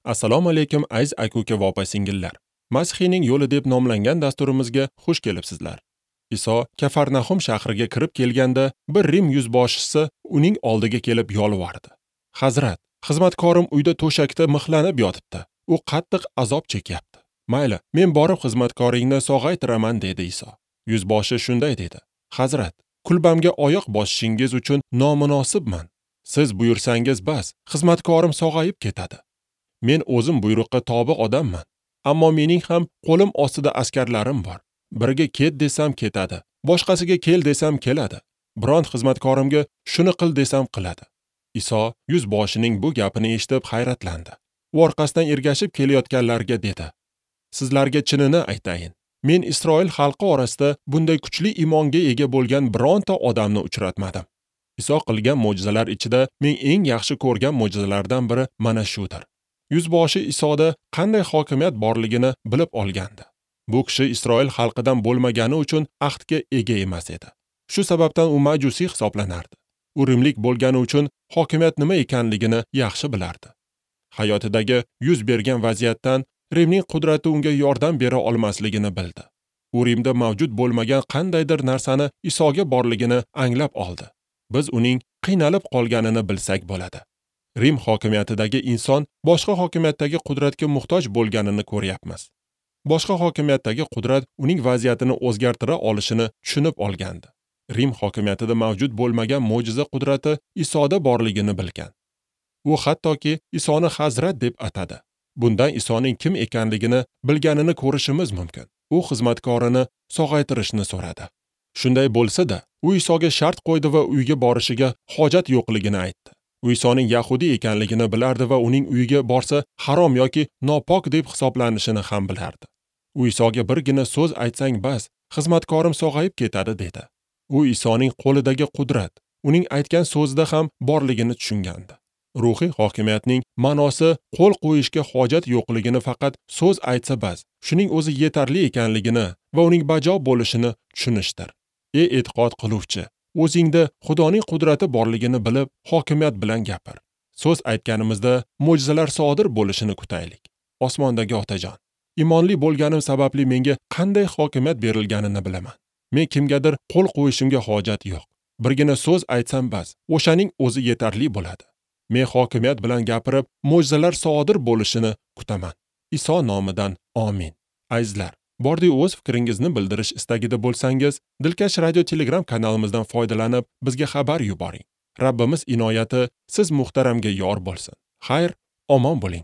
Assalomu alaykum aziz aka-uka va opa-singillar. Masihiyning yo'li deb nomlangan dasturimizga xush kelibsizlar. Iso Kafarnahum shahriga kirib kelganda bir Rim yuzboshisi uning oldiga kelib yolvordi. Hazrat, xizmatkorim uyda to'shakda mixlanib yotibdi. U qattiq azob chekyapti. Mayli, men borib xizmatkoringni sog'aytiraman, dedi Iso. Yuzboshi shunday dedi. Hazrat, kulbamga oyoq bosishingiz uchun nomunosibman. Siz buyursangiz bas, xizmatkorim sog'ayib ketadi. Men o'zim buyruqqa tobi odamman. Ammo mening ham qo'lim ostida askarlarim bor. Biriga ket desam ketadi, boshqasiga kel desam keladi. Biron xizmatkorimga shuni qil desam qiladi. Iso yuzboshining bu gapini eshitib hayratlandi. U orqasidan ergashib kelayotganlarga dedi: Sizlarga chinini aytayin. Men Isroil xalqi orasida bunday kuchli iymonga ega bo'lgan bironta odamni uchratmadim. Iso qilgan mo'jizalar ichida men eng yaxshi ko'rgan mo'jizalardan biri mana shudir. Yuzboshi Isoda qanday hokimiyat borligini bilib olgandi. Bu kishi Isroil xalqidan bo'lmagani uchun ahdga ega emas edi. Shu sababdan u majusiy hisoblanardi. U rimlik bo'lgani uchun hokimiyat nima ekanligini yaxshi bilardi. Hayotidagi yuz bergan vaziyatdan Rimning qudrati unga yordam bera olmasligini bildi. U Rimda mavjud bo'lmagan qandaydir narsani Isoga borligini anglab oldi. Biz uning qiynalib qolganini bilsak bo'ladi. Rim hokimiyatidagi inson boshqa hokimiyatdagi qudratga muhtoj bo'lganini ko'ryapmiz. Boshqa hokimiyatdagi qudrat uning vaziyatini o'zgartira olishini tushunib olgandi. Rim hokimiyatida mavjud bo'lmagan mo'jiza qudrati Isoda borligini bilgan. U hattoki Isoni Hazrat deb atadi. Bundan Isoning kim ekanligini bilganini ko'rishimiz mumkin. U xizmatkorini sog'aytirishni so'radi. Shunday bo'lsa-da, u Isoga shart qo'ydi va uyga borishiga hojat yo'qligini aytdi. U Isoning yahudiy ekanligini bilardi va uning uyiga borsa harom yoki nopok deb hisoblanishini ham bilardi. U Isoga birgina so'z aytsang bas, xizmatkorim sog'ayib ketadi dedi. U Isoning qo'lidagi qudrat, uning aytgan so'zida ham borligini tushungandi. Ruhiy hokimiyatning ma'nosi qo'l qo'yishga hojat yo'qligini faqat so'z aytsa bas, shuning o'zi yetarli ekanligini va uning bajo bo'lishini tushunishdir. Ey e'tiqod qiluvchi, o'zingda Xudoning qudrati borligini bilib, hokimiyat bilan gapir. So'z aytganimizda mo'jizalar sodir bo'lishini kutaylik. Osmondagi Otajon, iymonli bo'lganim sababli menga qanday hokimiyat berilganini bilaman. Men kimgadir qo'l qo'yishimga hojat yo'q. Birgina so'z aytsam bas, o'shaning o'zi yetarli bo'ladi. Men hokimiyat bilan gapirib, mo'jizalar sodir bo'lishini kutaman. Iso nomidan amin. Azizlar, bordi o'z fikringizni bildirish istagida bo'lsangiz, Dilkash Radio Telegram kanalimizdan foydalanib, bizga xabar yuboring. Rabbimiz inoyati siz muhtaramga yor bo'lsin. Xayr, omon bo'ling.